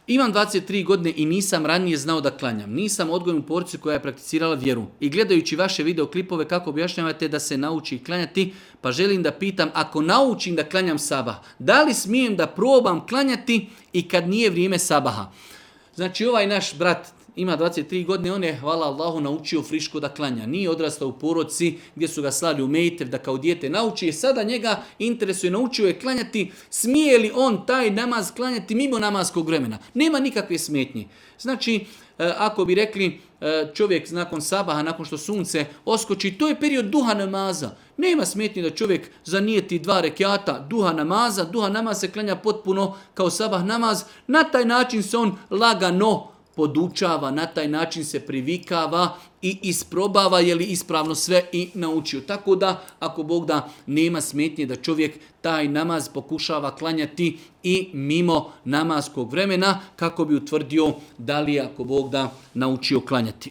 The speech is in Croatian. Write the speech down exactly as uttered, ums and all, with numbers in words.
Imam dvadeset tri godine i nisam ranije znao da klanjam. Nisam odgojen u porodici koja je prakticirala vjeru. I gledajući vaše videoklipove kako objašnjavate da se nauči klanjati, pa želim da pitam, ako naučim da klanjam sabah, da li smijem da probam klanjati i kad nije vrijeme sabaha? Znači ovaj naš brat ima dvadeset tri godine, on je, hvala Allahu, naučio friško da klanja. Nije odrastao u porodici gdje su ga slali u mejtev da kao dijete nauči. I sada njega interesuje, naučio je klanjati. Smije li on taj namaz klanjati mimo namaskog vremena? Nema nikakve smetnje. Znači, ako bi rekli čovjek nakon sabaha, nakon što sunce oskoči, to je period duha namaza. Nema smetnje da čovjek zanijeti dva rekata duha namaza. Duha namaz se klanja potpuno kao sabah namaz. Na taj način se on lagano podučava, na taj način se privikava i isprobava je li ispravno sve i naučio. Tako da, ako Bog da, nema smetnje da čovjek taj namaz pokušava klanjati i mimo namaskog vremena kako bi utvrdio da li je, ako Bog da, naučio klanjati.